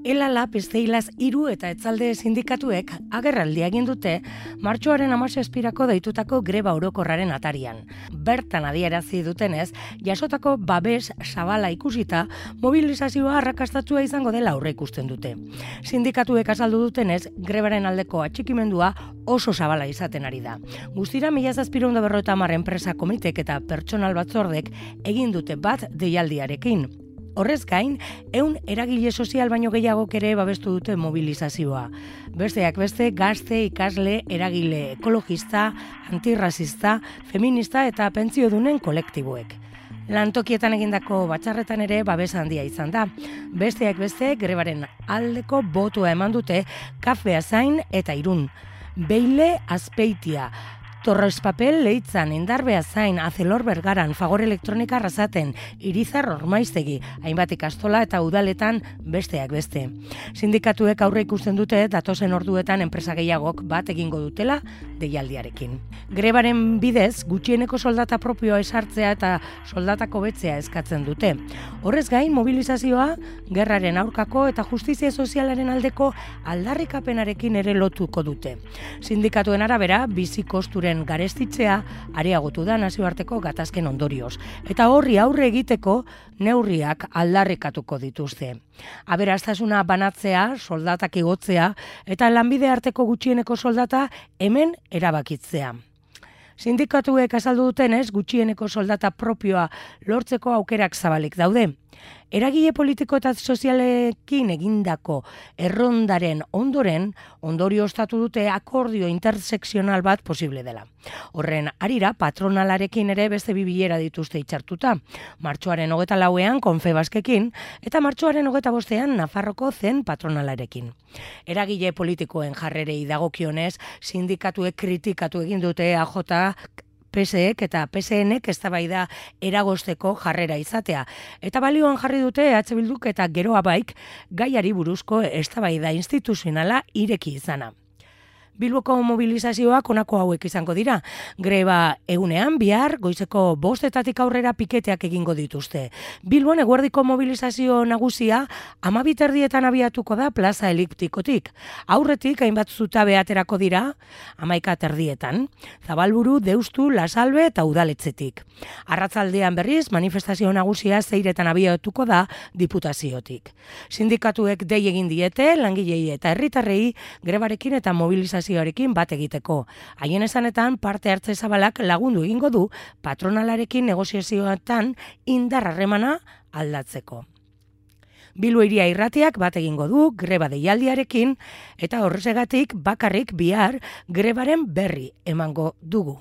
Elala, Pesteilaz, Hiru eta Etzalde sindikatuek agerraldia egin dute martxoaren 17irako deitutako greba orokorraren atarian. Bertan adierazi dutenez, jasotako babes zabala ikusita, mobilizazioa arrakastatua izango dela aurreikusten dute. Sindikatuek azaldu dutenez, grebaren aldeko atxikimendua oso zabala izaten ari da. Guztira 1750 enpresa komitek eta pertsonal batzordek egin dute bat deialdiarekin. Horrez gain, 100 eragile sozial baino gehiagok ere babestu dute mobilizazioa. Besteak beste, gazte, ikasle, eragile ekologista, antirrazista, feminista eta pentsiodunen kolektiboek. Lantokietan egindako batzarretan ere babes handia izan da. Besteak beste, grebaren aldeko botoa eman dute Kafe Azain eta Irun. Beile Azpeitia, Torres Papel Leitzan, Indarbe Azain, Azelor Bergaran, Fagor Elektronika Arrasaten, Irizar Ormaiztegi, hainbat ikastola eta udaletan besteak beste. Sindikatuek aurre ikusten dute datozen orduetan enpresa gehiagok bat egingo dutela deialdiarekin. Grebaren bidez gutxieneko soldata propioa esartzea eta soldatako betzea eskatzen dute. Horrez gain, mobilizazioa gerraren aurkako eta justizia sozialaren aldeko aldarrikapenarekin ere lotuko dute. Sindikatuen arabera, bizi kosturen garestitzea areagotu da nazioarteko gatazken ondorioz, eta horri aurre egiteko neurriak aldarrikatuko dituzte. Aberastasuna banatzea, soldatak igotzea eta lanbide arteko gutxieneko soldata hemen erabakitzea. Sindikatuek azaldu dutenez, gutxieneko soldata propioa lortzeko aukerak zabalik daude. Eragile politiko eta sozialekin egindako errondaren ondorio ostatu dute akordio intersekzional bat posible dela. Horren harira patronalarekin ere beste bi bilera dituzte hitzartuta. Martxoaren 24ean Confebaskekin eta martxoaren 25ean Nafarroko zen patronalarekin. Eragile politikoen jarrerei dagokionez, sindikatuek kritikatu egin dute AJ, PSek eta PSNek eztabaida eragozteko jarrera izatea. Eta balioan jarri dute EH Bilduk eta Geroa Baik gaiari buruzko eztabaida instituzionala ireki izana. Bilboko mobilizazioak honako hauek izango dira. Greba egunean bihar goizeko 5 aurrera piketeak egingo dituzte. Bilbon eguerdiko mobilizazio nagusia 12:30 abiatuko da plaza eliptikotik. Aurretik hainbat zutabe aterako dira 11:30. Zabalburu, Deustu, Lasalbe eta Udaletxetik. Arratzaldean berriz manifestazio nagusia 6 abiatuko da Diputaziotik. Sindikatuek dei egin diete langilei eta herritarrei grebarekin eta mobilizazioarekin bat egiteko. Haien esanetan parte hartze zabalak lagundu egingo du patronalarekin negoziazioetan indar harremana aldatzeko. Bilbo Hiria Irratiak bat egingo du greba deialdiarekin eta horregatik bakarrik bihar grebaren berri emango dugu.